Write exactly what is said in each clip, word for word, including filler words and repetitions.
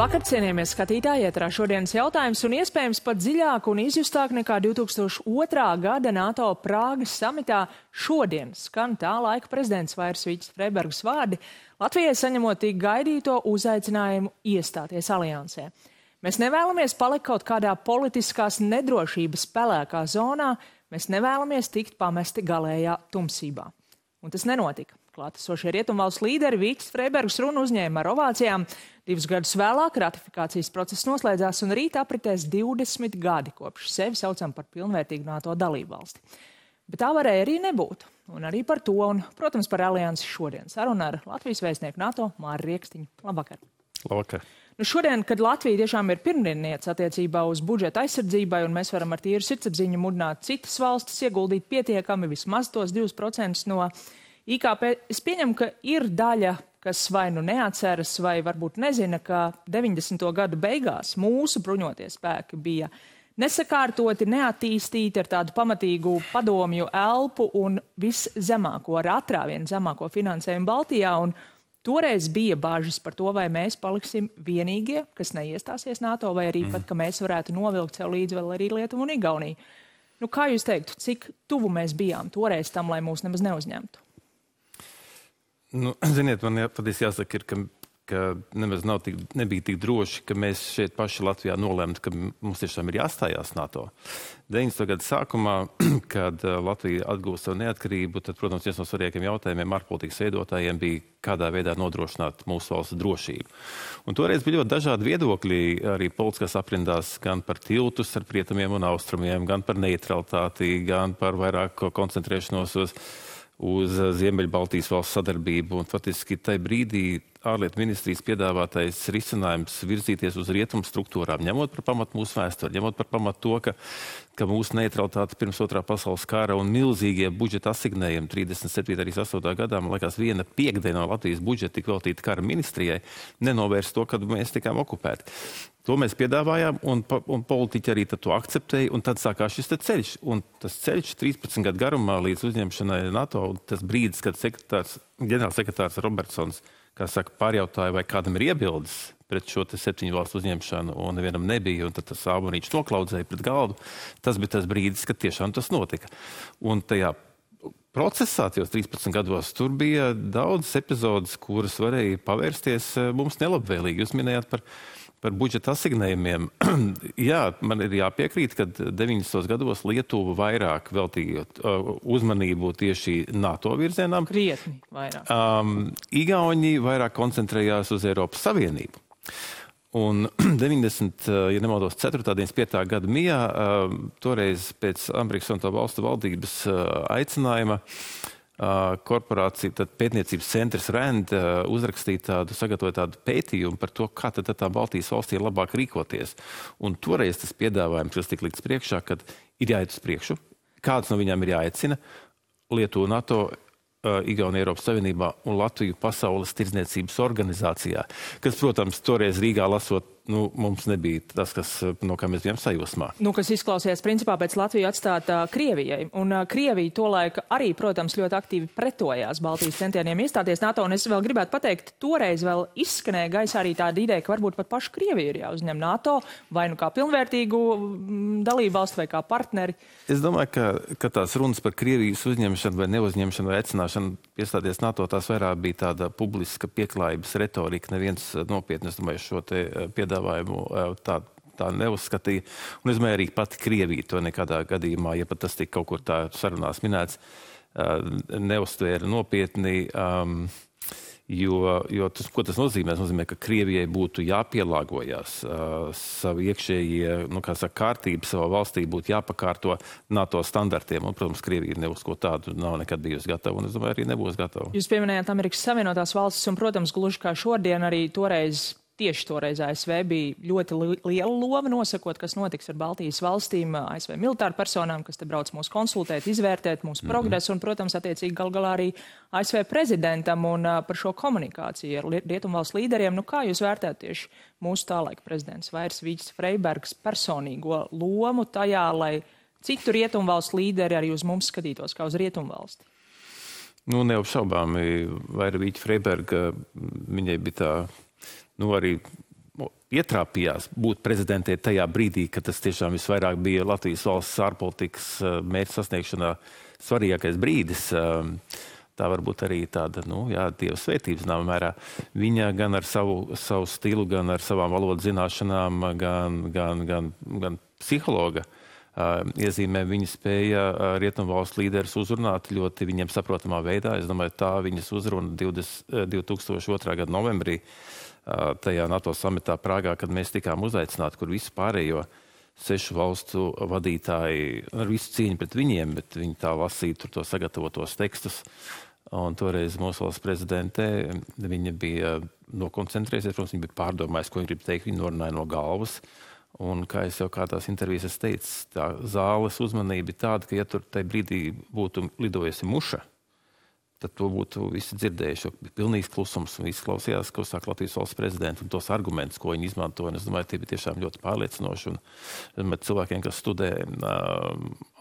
Labvakar, cienījamies skatītāji, ietrā šodienas jautājums un iespējams pat dziļāk un izjustāk nekā divi tūkstoši otrā gada NATO Prāgas samitā šodien skan tā laika prezidents Vairs Vīķis Freibergs vārdi, Latvijai saņemot tik gaidīto uzaicinājumu iestāties aliansē. Mēs nevēlamies palikt kaut kādā politiskās nedrošības pelēkā zonā, mēs nevēlamies tikt pamesti galējā tumsībā. Un tas nenotika. Klātesošie rietumvalstu līderi Vīķis Freibergs runu uzņēma ar ovācijām. Divus gadus vēlāk ratifikācijas process noslēdzās un rīt apritēs divdesmit gadi, kopš sevi saucam par pilnvērtīgu NATO dalībvalsti. Bet tā varēja arī nebūt. Un arī par to un, protams, par aliansi šodien. Saruna ar Latvijas vēstnieku NATO Māri Riekstiņu. Labvakar. Labvakar. Nu šodien, kad Latvija tiešām ir pirmdienniece attiecībā uz budžeta aizsardzībai un mēs varam ar tīru sirdsapziņu mudināt citas valstis ieguldīt pietiekami vismaz tos divus procentus no I K P, es pieņemu, ka ir daļa, kas vai nu neatceras, vai varbūt nezina, ka deviņdesmito gadu beigās mūsu bruņotie spēki bija nesakārtoti, neattīstīti ar tādu pamatīgu padomju elpu un viszemāko, ar atrāvienu zemāko finansējumu Baltijā. Un toreiz bija bāžas par to, vai mēs paliksim vienīgie, kas neiestāsies NATO, vai arī mm. pat, ka mēs varētu novilkt sev līdzi vēl arī Lietuvu un Igauniju. Nu, kā jūs teiktu, cik tuvu mēs bijām toreiz tam, lai mūs nemaz neuzņemtu? Nu, ziniet, man patiesi jāsaka, ir, ka, ka nemaz nav tik, nebija tik droši, ka mēs šeit paši Latvijā nolēmt, ka mums tiešām ir jāstājās NATO. deviņdesmito gadu sākumā, kad Latvija atgūst savu neatkarību, tad, protams, viens no svarīgākiem jautājumiem ārpolitikas veidotājiem bija, kādā veidā nodrošināt mūsu valsts drošību. Un toreiz bija ļoti dažādi viedokļi arī politiskās aprindās, gan par tiltus ar rietumiem un austrumiem, gan par neutralitāti, gan par vairāk koncentrēšanos uz uz Ziemeļbaltijas valsts sadarbību. Un faktiski tajā brīdī ārlietu ministrijas piedāvātais risinājums virzīties uz rietumu struktūrām, ņemot par pamatu mūsu vēsturi, ņemot par pamatu to, ka, ka mūsu neutralitāte pirms otrā pasaules kara un milzīgie budžeta asignējumi trīsdesmit septītā un trīsdesmit astotajā gadā, man liekas, viena piekdiena no Latvijas budžeta tika veltīta kara ministrijai, nenovērst to, kad mēs tikām okupēti. To mēs piedāvājām, un, un politiķi arī to akceptēja, un tad sākās šis ceļš. Un tas ceļš trīspadsmit gadu garumā līdz uzņemšanai NATO, un tas brīdis, kad sekretārs, ģenerālsekretārs Robertsons, kā saka, pārjautāja, vai kādam ir iebildes pret šo te septiņu valstu uzņemšanu, un nevienam nebija, un tad tas ābonīčs noklaudzēja pret galdu. Tas bija tas brīdis, kad tiešām tas notika. Un tajā procesā, tajos trīspadsmit gados, tur bija daudz epizodes, kuras varēja pavērsties mums nelabvēlīgi. Jūs minējāt par Par budžeta asignējumiem. Jā, man ir jāpiekrīt, ka deviņdesmitos gados Lietuva vairāk veltīja uh, uzmanību tieši NATO virzienām. Krietni vairāk. Um, Igauni vairāk koncentrējās uz Eiropas Savienību. Un deviņdesmit, ja nemaldos, ceturtā deviņdesmit piektajā gada mijā, uh, toreiz pēc Amerikas Savienoto Valstu valdības uh, aicinājuma, korporācija, tad pētniecības centrs RAND uzrakstīja tādu, sagatavoja tādu pētījumu par to, kā tad tā Baltijas valstī ir labāk rīkoties. Un toreiz tas piedāvājums, kas tika likts priekšā, kad ir jāiet uz priekšu, kāds no viņām ir jāaicina, Lietuvu NATO, Igauniju Eiropas Savienībā un Latviju Pasaules tirdzniecības organizācijā, kas, protams, toreiz Rīgā lasot, nu, mums nebija tas, kas, no kā mēs bijām sajūsmā. Nu, kas izklausījās principā pēc Latviju atstāt uh, Krievijai. Un uh, Krievija tolaik arī, protams, ļoti aktīvi pretojās Baltijas centieniem iestāties NATO. Un es vēl gribētu pateikt, toreiz vēl izskanēja gaisā arī tāda ideja, ka varbūt pat pašu Krieviju ir jāuzņem NATO, vai nu kā pilnvērtīgu dalību valstu vai kā partneri. Es domāju, ka, ka tās runas par Krievijas uzņemšanu vai neuzņemšanu vai aicināšanu piestāties NATO, tās vairāk bija tāda publiska pieklājības retorika. Neviens nopietni, es domāju, šo te piedāvājumu tā, tā neuzskatīja. Un es domāju, arī pati Krievija to nekādā gadījumā, ja pat tas tika kaut kur tā sarunās minēts, neuztvēra nopietni, um, jo, jo tas, ko tas nozīmē? Tas nozīmē, ka Krievijai būtu jāpielāgojās uh, savu iekšējie, nu, kā saka, kārtību savā valstī būtu jāpakārto NATO standartiem. Un, protams, Krievija ne uz ko tādu nav nekad bijusi gatava, un es domāju, arī nebūs gatava. Jūs pieminējāt Amerikas Savienotās valstis, un, protams, gluži kā šodien arī toreiz Tieši toreiz A S V bija ļoti liela loma nosakot, kas notiks ar Baltijas valstīm, A S V militāru personām, kas te brauc mūs konsultēt, izvērtēt mūsu mm-hmm. progresu un, protams, attiecīgi gal galā arī A S V prezidentam un uh, par šo komunikāciju ar rietumvalstu līderiem. Nu, kā jūs vērtējat tieši mūsu tālaika prezidents Vairs Vīķis Freibergs personīgo lomu tajā, lai citu rietumvalstu līderi arī uz mums skatītos kā uz rietumvalsti? Nu, neapšaubāmi Vaira Vīķa Freiberga, viņai bija tā, nu, arī ietrāpījās būt prezidentē tajā brīdī, kad tas tiešām visvairāk bija Latvijas valsts ārpolitikas mērķa sasniegšanā svarīgākais brīdis. Tā varbūt arī tāda, nu, jā, Dieva svētības zināmā mērā. Viņa gan ar savu, savu stilu, gan ar savām valodas zināšanām, gan, gan, gan, gan psihologa uh, iezīmē viņa spēja uh, rietumu valstu līderus uzrunāt ļoti viņiem saprotamā veidā. Es domāju, tā viņas uzruna divi tūkstoši otrā gada novembrī uh, tajā NATO samitā Prāgā, kad mēs tikām uzaicināti, kur visu pārējo sešu valstu vadītāji ar visu cieņu pret viņiem, bet viņi tā lasīja tur to sagatavotos tekstus. Un toreiz mūsu valsts prezidentē viņa bija nokoncentrējusies, protams, viņa bija pārdomājis, ko viņa grib teikt, viņa norunāja no galvas. Un, kā es jau kādās intervijas esmu teicis, tā zāles uzmanība ir tāda, ka ja tur tajā brīdī būtu lidojusi muša, tad to būtu visi dzirdējuši, jo bija pilnīgs klusums un visi klausījās, ko saka Latvijas valsts prezidents un tos argumentus, ko viņi izmanto. Un es domāju, tie bija tiešām ļoti pārliecinoši. Un, domāju, cilvēkiem, kas studē uh,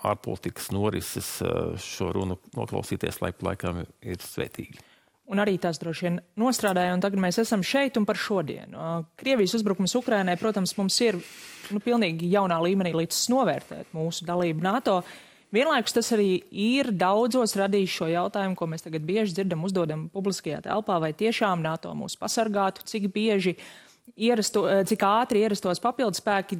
ārpolitikas norises, uh, šo runu noklausīties laika laikam ir svētīgi. Un arī tas droši vien nostrādāja, un tagad mēs esam šeit un par šodienu. Uh, Krievijas uzbrukums Ukrainai, protams, mums ir nu, pilnīgi jaunā līmenī līdz novērtēt mūsu dalību NATO. Vienlaikus tas arī ir daudzos radījis šo jautājumu, ko mēs tagad bieži dzirdam, uzdodam publiskajā telpā, vai tiešām NATO mūs pasargātu, cik bieži ierasto, cik ātri ierastos papildus spēki.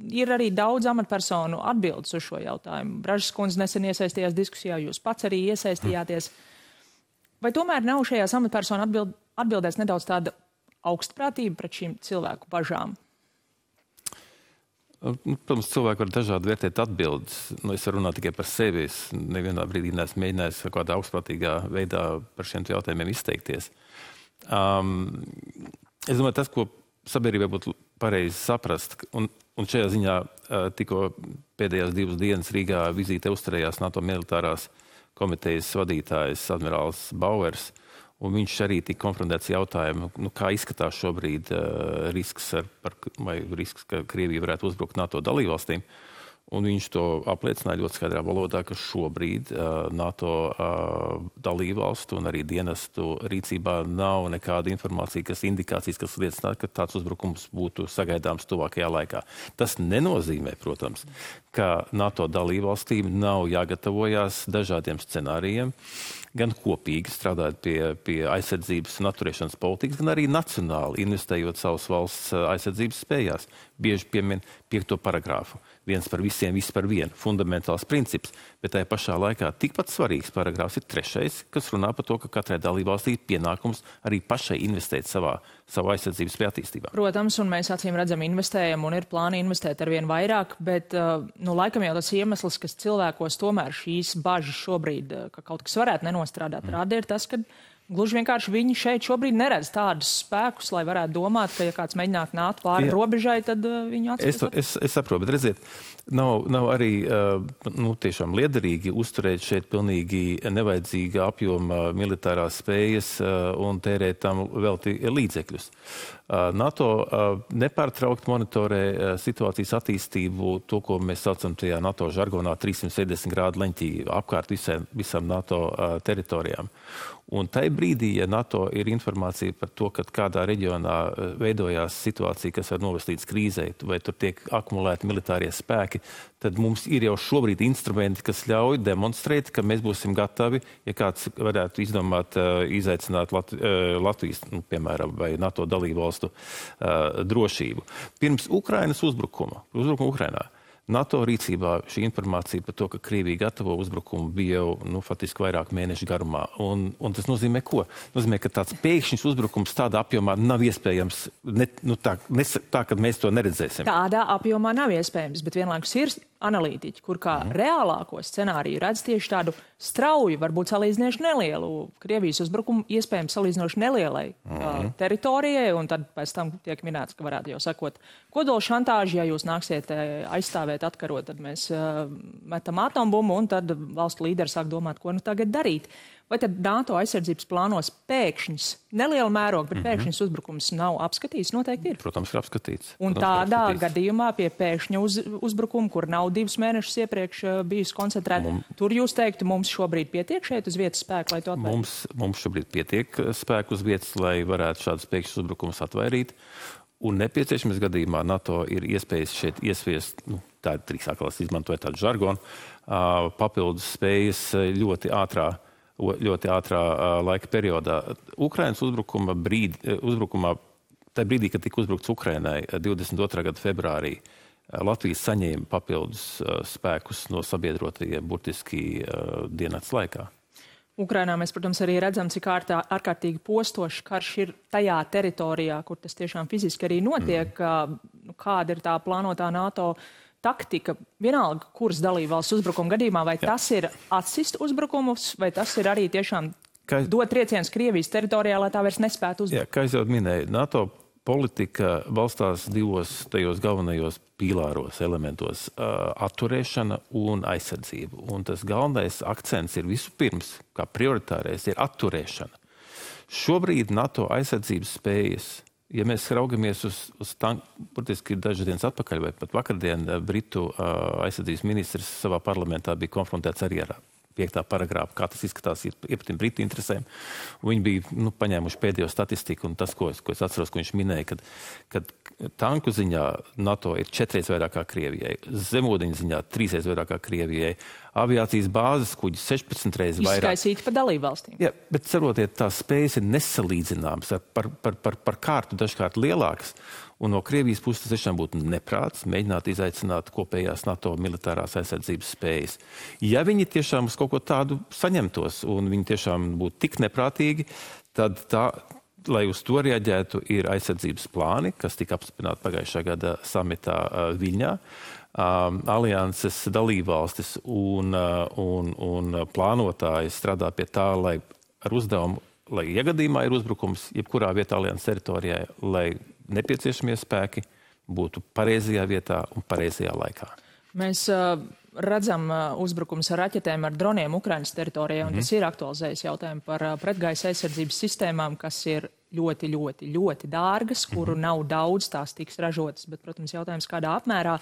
Ir arī daudz amatpersonu atbildes uz šo jautājumu. Bražas kundze nesen iesaistījās diskusijā, jūs pats arī iesaistījāties. Vai tomēr nav šajās amatpersonu atbild, atbildēs nedaudz tāda augstprātība pret šīm cilvēku bažām? Protams, cilvēki var dažādi vērtēt atbildes. Nu, es varu runāt tikai par sevi. Es nevienā brīdī neesmu mēģinājis kādā augstprātīgā veidā par šiem jautājumiem izteikties. Um, es domāju, tas, ko sabiedrībai būtu pareizi saprast, un, un šajā ziņā uh, tikko pēdējās divas dienas Rīgā vizīte uzturējās NATO militārās komitejas vadītājs admirālis Bauers, un viņš arī tika konfrontēts jautājumu, nu, kā izskatās šobrīd uh, risks, ar, par, vai risks, ka Krievija varētu uzbrukt NATO dalībvalstīm. Un viņš to apliecināja ļoti skaidrā valodā, ka šobrīd uh, NATO uh, dalībvalstu un arī dienestu rīcībā nav nekāda informācija, kas indikācijas, kas liecina, ka tāds uzbrukums būtu sagaidāms tuvākajā laikā. Tas nenozīmē, protams, ka NATO dalībvalstīm nav jāgatavojās dažādiem scenārijiem, gan kopīgi strādājot pie, pie aizsardzības un atturēšanas politikas, gan arī nacionāli investējot savas valsts aizsardzības spējās. Bieži piemin piekto paragrāfu. Viens par visiem, viss par vienu. Fundamentāls princips. Bet tajā pašā laikā tikpat svarīgs paragrāfs ir trešais, kas runā par to, ka katrai dalībvalstī ir pienākums arī pašai investēt savā, savā aizsardzības spēju attīstībā. Protams, un mēs acīm redzam investējam un ir plāni investēt arvien vairāk, bet nu, laikam jau tas iemesls, kas cilvēkos tomēr šīs bažas šobrīd, ka kaut kas varētu nenostrādāt, mm. rāda ir tas, ka gluži vienkārši viņi šeit šobrīd neredz tādus spēkus, lai varētu domāt, ka ja kāds mēģinātu nākt pāri Jā. robežai, tad uh, viņu atspēs. Es, es, es saprotu, bet redziet, nav, nav arī uh, nu, tiešām liederīgi uzturēt šeit pilnīgi nevajadzīga apjoma militārās spējas uh, un tērēt tam velti līdzekļus. Uh, NATO uh, nepārtraukt monitorē uh, situācijas attīstību, to, ko mēs saucam tajā NATO žargonā trīssimt septiņdesmit grādu leņķī apkārt visai, visam NATO uh, teritorijām. Un tai brīdī, ja NATO ir informācija par to, ka kādā reģionā veidojās situācija, kas var novest līdz krīzei, vai tur tiek akumulēti militārie spēki, tad mums ir jau šobrīd instrumenti, kas ļauj demonstrēt, ka mēs būsim gatavi, ja kāds varētu izdomāt, izaicināt Lat Latvijas, nu, piemēram, vai NATO dalībvalstu uh, drošību. Pirms Ukrainas uzbrukuma, uzbrukuma Ukrainā, NATO rīcībā šī informācija par to, ka Krievija gatavo uzbrukumu, bija jau nu, faktiski vairāk mēnešu garumā. Un, un tas nozīmē ko? Nozīmē, ka tāds pēkšņs uzbrukums tādā apjomā nav iespējams, ne, nu, tā, ne, tā, kad mēs to neredzēsim. Tādā apjomā nav iespējams, bet vienlaikus ir analītiķi, kur kā mm. reālāko scenāriju redz tieši tādu strauju, varbūt salīdzinoši nelielu Krievijas uzbrukumu, iespējams salīdzinoši nelielai mm. teritorijai, un tad pēc tam tiek minēts, ka varētu jau sakot kodola šantāži, ja jūs nāksiet aizstāvēt, atkarot, tad mēs uh, metam atombumbu, un tad valstu līderi sāk domāt, ko nu tagad darīt. Vai tad NATO aizsardzības plānos pēkšņs, neliela mēroga, bet mm -hmm. pēkšņs uzbrukums nav apskatīts? Noteikti ir. Protams, ir apskatīts. Un Protams, tādā apskatīts. gadījumā pie pēkšņa uz, uzbrukuma, kur nav divus mēnešus iepriekš uh, bijusi koncentrēta, Mum... tur jūs teiktu, mums šobrīd pietiek šeit uz vietas spēku, lai to atvairītu? Mums, mums šobrīd pietiek spēku uz vietas, lai varētu šādus pēkšņus uzbrukumus atvairīt. Un nepieciešamības gadījumā NATO ir iespējas šeit iesviest, nu, tā ir trīs atkal izmantoja tādu žargonu, uh, papildus spējas ļoti ātrā, ļoti ātrā uh, laika periodā. Ukrainas uzbrukuma brīd, uzbrukumā, tā brīdī, kad tika uzbrukts Ukrainai divdesmit otrā gada februārī, uh, Latvijas saņēma papildus uh, spēkus no sabiedrotajiem burtiski uh, diennakts laikā. Ukrainā mēs, protams, arī redzam, cik ārtā, ārkārtīgi postošs karš ir tajā teritorijā, kur tas tiešām fiziski arī notiek. Mm. Nu, kāda ir tā plānotā NATO taktika? Vienalga, kuras dalībvalsts uzbrukuma gadījumā, vai Jā. tas ir atsist uzbrukumus, vai tas ir arī tiešām kā... dot triecienus Krievijas teritorijā, lai tā vairs nespētu uzbrukt? Jā, kā es jau minēju, NATO politika balstās divos tajos galvenajos pīlāros, elementos uh, - atturēšana un aizsardzība. Un tas galvenais akcents ir visu pirms, kā prioritārais, ir atturēšana. Šobrīd NATO aizsardzības spējas, ja mēs raugamies uz, uz tanku, burtiski dažas dienas atpakaļ, vai pat vakardien, Britu uh, aizsardzības ministrs savā parlamentā bija konfrontēts arī ar piektā paragrāfa, kā tas izskatās iepatim Britu interesēm. Un viņi bija nu, paņēmuši pēdējo statistiku, un tas, ko es, ko es atceros, ko viņš minēja, kad, kad tanku ziņā NATO ir četreiz vairāk kā Krievijai, zemūdeņu ziņā trīsreiz vairāk kā Krievijai, aviācijas bāzes kuģi sešpadsmit reizes vairāk. Izskaisīti pa dalībvalstīm. Jā, bet cerotiet, tās spējas ir nesalīdzināmas, par, par, par, par kārtu dažkārt lielākas. Un no Krievijas puses tas tiešām būtu neprāts mēģināt izaicināt kopējās NATO militārās aizsardzības spējas. Ja viņi tiešām uz kaut ko tādu saņemtos un viņi tiešām būtu tik neprātīgi, tad tā, lai uz to reaģētu, ir aizsardzības plāni, kas tika apstiprināti pagājušā gada samitā uh, Viļņā. Um, alianses dalībvalstis un, uh, un, un plānotāji strādā pie tā, lai ar uzdevumu, lai iegadījumā ir uzbrukums jebkurā vietā alianses teritorijā, lai nepieciešamie spēki būtu pareizajā vietā un pareizajā laikā. Mēs uh, redzam uh, uzbrukums ar raķetēm, ar droniem Ukrainas teritorijā, un mm. tas ir aktualizējis jautājumu par uh, pretgaisa aizsardzības sistēmām, kas ir ļoti, ļoti, ļoti dārgas, kuru mm. nav daudz, tās tiks ražotas, bet, protams, jautājums kādā apmērā.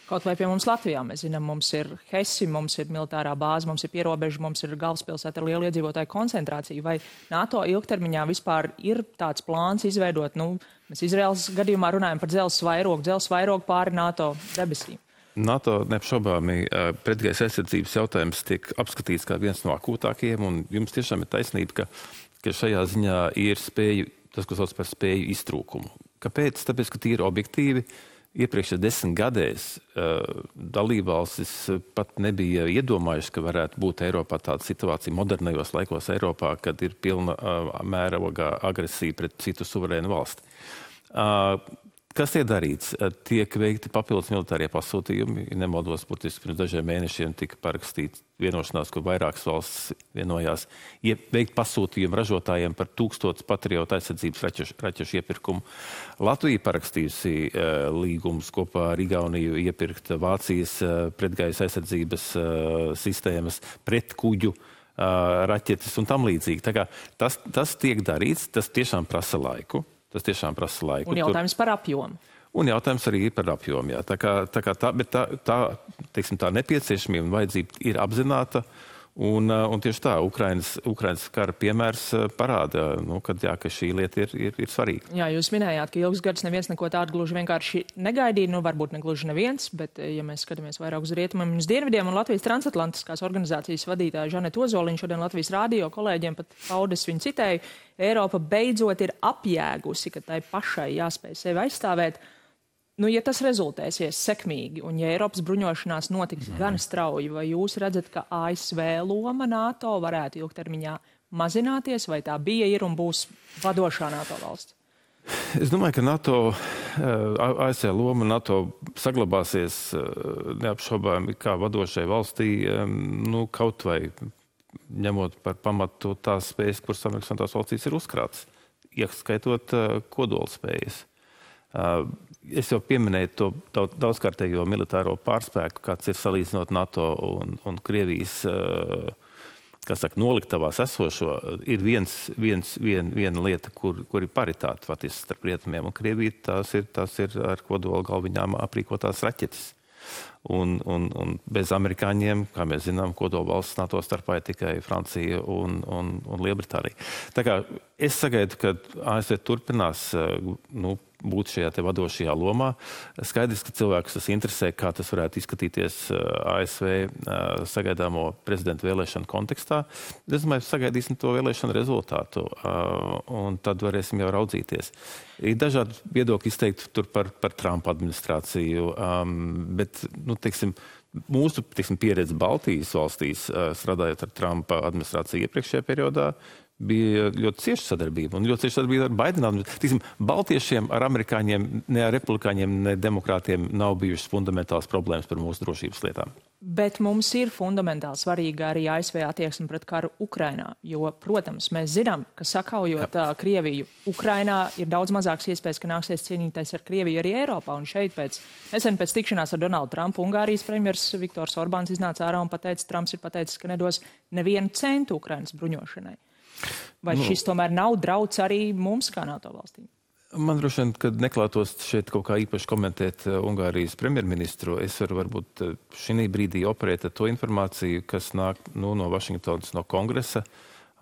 Kaut vai pie mums Latvijā, mēs zinām, mums ir Hesi, mums ir militārā bāze, mums ir pierobeža, mums ir galvaspilsēta ar lielu iedzīvotāju koncentrāciju. Vai NATO ilgtermiņā vispār ir tāds plāns izveidot, nu, mēs Izraels gadījumā runājam par dzelzs vairogu, dzelzs vairogu pāri NATO debesīm? NATO neapšaubāmi pretgaisa aizsardzības jautājums tiek apskatīts kā viens no akūtākajiem, un jums tiešām ir taisnība, ka, ka šajā ziņā ir spēju, tas, ko sauc par spēju iztrūkumu. Kāpēc? Tāpēc, ka tīri objektīvi iepriekšējā desmit gadēs uh, dalībvalstis pat nebija iedomājuši, ka varētu būt Eiropā tāda situācija modernajos laikos Eiropā, kad ir pilna uh, mēroga agresija pret citu suverēnu valsti. Uh, Kas tiek darīts? Tiek veikti papildus militārie pasūtījumi. Nemaldos, burtiski pirms dažiem mēnešiem tika parakstīts vienošanās, kur vairākas valsts vienojās veikt pasūtījumu ražotājiem par tūkstotis patriotu aizsardzības raķešu, raķešu iepirkumu. Latvija parakstījusi uh, līgumus kopā ar Igauniju iepirkt Vācijas uh, pretgaisa aizsardzības uh, sistēmas, pret kuģu uh, raķetes un tam līdzīgi. Tā kā tas, tas tiek darīts, tas tiešām prasa laiku. Tas tiešām prasa laiku. Un jautājums par apjomu. Un jautājums arī par apjomu, jā. Tā kā, tā kā tā, bet tā, tā, teiksim, tā nepieciešamība un vajadzība ir apzināta. Un, un tieši tā, Ukrainas, Ukrainas kara piemērs parāda, nu, kad, jā, ka šī lieta ir, ir, ir svarīga. Jā, jūs minējāt, ka ilgus gadus neviens neko tādu gluži vienkārši negaidīja, nu varbūt ne gluži neviens, bet ja mēs skatāmies vairāk uz rietumiem un uz dienvidiem, un Latvijas transatlantiskās organizācijas vadītāja Žaneta Ozoliņa šodien Latvijas rādio kolēģiem pat paudas viņu citēju, Eiropa beidzot ir apjēgusi, ka tai pašai jāspēj sevi aizstāvēt. Nu, ja tas rezultēsies sekmīgi, un ja Eiropas bruņošanās notiks mm. gan strauji, vai jūs redzat, ka A S V loma NATO varētu ilgtermiņā mazināties, vai tā bija, ir un būs vadošā NATO valsts? Es domāju, ka NATO, A S V loma NATO saglabāsies neapšaubāmi kā vadošai valstī, nu, kaut vai ņemot par pamatu tās spējas, kuras Amerikas Savienotās valstīs ir uzkrātas, ieskaitot kodolspējas. Es jau pieminēju to daudzkārtējo militāro pārspēku, kāds ir salīdzinot NATO un, un Krievijas, kā saka, noliktavās esošo, ir viens, viens, vien, viena lieta, kur, kur ir paritāte faktiski starp rietumiem un Krieviju, tās ir, tās ir ar kodola galviņām aprīkotās raķetes. Un, un, un bez amerikāņiem, kā mēs zinām, kodola valsts NATO starpā ir tikai Francija un, un, un Lielbritānija. Tā kā es sagaidu, ka A S V turpinās nu, būt šajā te vadošajā lomā. Skaidrs, ka cilvēkus tas interesē, kā tas varētu izskatīties A S V sagaidāmo prezidentu vēlēšanu kontekstā. Es domāju, sagaidīsim to vēlēšanu rezultātu, un tad varēsim jau raudzīties. Ir dažādi viedokļi izteikti tur par, par Trumpa administrāciju, bet, nu, teiksim, mūsu teiksim, pieredze Baltijas valstīs, strādājot ar Trumpa administrāciju iepriekšējā periodā, bija ļoti cieša sadarbība un ļoti cieša sadarbība ar Baidena administrāciju. Baltiešiem ar amerikāņiem, ne ar republikāņiem, ne demokrātiem nav bijušas fundamentāls problēmas par mūsu drošības lietām. Bet mums ir fundamentāli svarīga arī A S V attieksme pret karu Ukrainā, jo, protams, mēs zinām, ka sakaujot Jā. Krieviju Ukrainā ir daudz mazāks iespējas, ka nāksies cīnīties ar Krieviju arī Eiropā. Un šeit pēc, nesen pēc tikšanās ar Donaldu Trumpu, Ungārijas premjers Viktors Orbāns iznāca ārā un pateica, Trumps ir pateicis, ka nedos nevienu centu Ukrainas bruņošanai. Vai nu, šis tomēr nav drauds arī mums kā NATO valstīm? Man droši vien, kad neklātos šeit kaut kā īpaši komentēt Ungārijas premjerministru, es varu varbūt šī brīdī operēt ar to informāciju, kas nāk nu, no Vašingtonas, no kongresa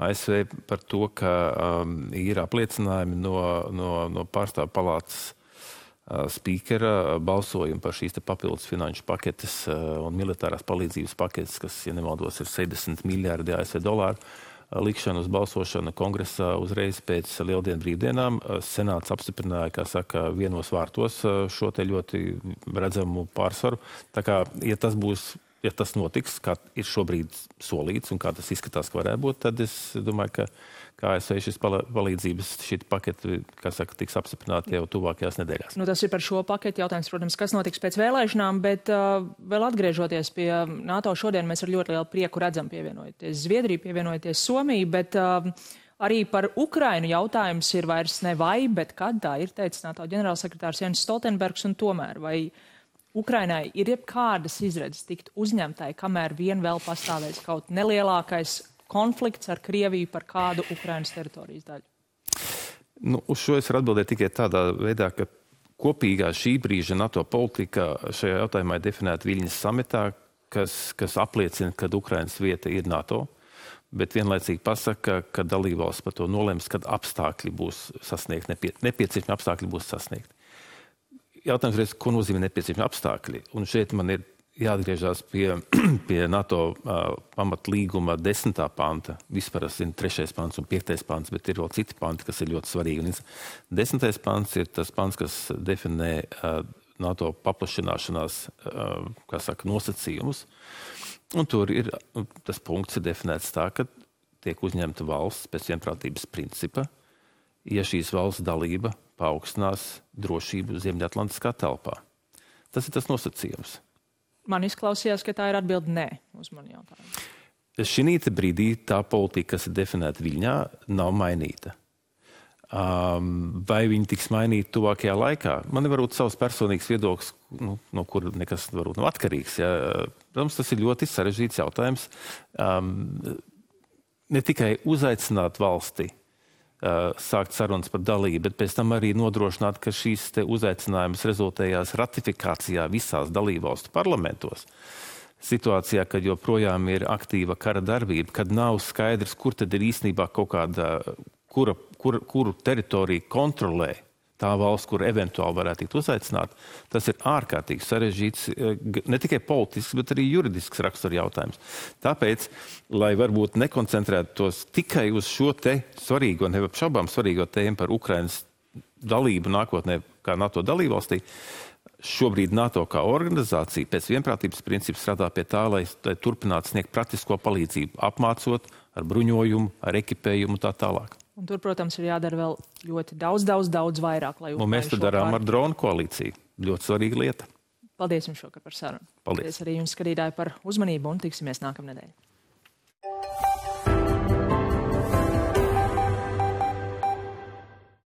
A S V par to, ka um, ir apliecinājumi no, no, no pārstāvu palātas uh, spīkera balsojumu par šīs te papildus finanšu paketes uh, un militārās palīdzības paketes, kas, ja nemaldos, ir sešdesmit miljārdi A S V dolāru. Likšana uz balsošanu kongresā uzreiz pēc lieldienu brīvdienām. Senāts apstiprināja, kā saka, vienos vārtos šo te ļoti redzamu pārsvaru. Tā kā, ja tas būs, ja tas notiks, kā ir šobrīd solīts un kā tas izskatās, ka varētu būt, tad es domāju, ka kā A S V šis palīdzības šī paketi, kā saka, tiks apstiprināti jau tuvākajās nedēļās. Nu, tas ir par šo paketi jautājums, protams, kas notiks pēc vēlēšanām, bet uh, vēl atgriežoties pie NATO šodien, mēs ar ļoti lielu prieku redzam pievienojoties Zviedriju, pievienojoties Somiju, bet uh, arī par Ukrainu jautājums ir vairs ne vai, bet kad tā ir, teicis NATO ģenerālsekretārs Jens Stoltenbergs, un tomēr vai Ukrainai ir jebkādas izredzes tikt uzņemtai, kamēr vien vēl pastāvēs kaut nelielākais konflikts ar Krieviju par kādu Ukrainas teritorijas daļu? Nu, uz šo es varu atbildēt tikai tādā veidā, ka kopīgā šī brīža NATO politika šajā jautājumā ir definēta Viļņas samitā, kas, kas apliecina, ka Ukrainas vieta ir NATO, bet vienlaicīgi pasaka, ka dalībvalsts par to nolems, kad apstākļi būs sasniegti, nepie, nepieciešami apstākļi būs sasniegti. Jautājums reiz, ko nozīmē nepieciešami apstākļi? Un šeit man ir jāatgriežās pie, pie NATO uh, pamatlīguma desmitā panta. Vispār es zinu trešais pants un piektais pants, bet ir vēl citi panti, kas ir ļoti svarīgi. Un desmitais pants ir tas pants, kas definē uh, NATO paplašināšanās, uh, kā saka, nosacījumus. Un tur ir, tas punkts ir definēts tā, ka tiek uzņemta valsts pēc vienprātības principa, ja šīs valsts dalība paaugstinās drošību Ziemeļatlantiskā telpā. Tas ir tas nosacījums. Man izklausījās, ka tā ir atbilde nē uz mani jautājumu. Šī brīdī tā politika, kas ir definēta Viļņā, nav mainīta. Um, vai viņi tiks mainīti tuvākajā laikā? Man ir varbūt savs personīgs viedoklis, nu, no kura nekas varbūt nav atkarīgs. Ja. Protams, tas ir ļoti sarežģīts jautājums. Um, ne tikai uzaicināt valsti, Uh, sākt sarunas par dalību, bet pēc tam arī nodrošināt, ka šīs te uzaicinājums rezultējās ratifikācijā visās dalībvalstu parlamentos. Situācijā, kad joprojām ir aktīva kara darbība, kad nav skaidrs, kur tad ir īstenībā kaut kāda, kura, kur, kuru teritoriju kontrolē tā valsts, kur eventuāli varētu tikt uzaicināt, tas ir ārkārtīgi sarežģīts, ne tikai politisks, bet arī juridisks rakstura jautājums. Tāpēc, lai varbūt nekoncentrētos tikai uz šo te svarīgo, neapšaubām svarīgo tēmu par Ukrainas dalību nākotnē kā NATO dalībvalstī, šobrīd NATO kā organizācija pēc vienprātības principa strādā pie tā, lai, lai turpinātu sniegt praktisko palīdzību, apmācot ar bruņojumu, ar ekipējumu un tā tālāk. Un tur, protams, ir jādara vēl ļoti daudz, daudz, daudz vairāk, lai un mēs to darām ar dronu koalīciju. Ļoti svarīga lieta. Paldies jums šokar par sarunu. Paldies. Paldies arī jums, skatītāji, par uzmanību un tiksimies nākamnedēļ.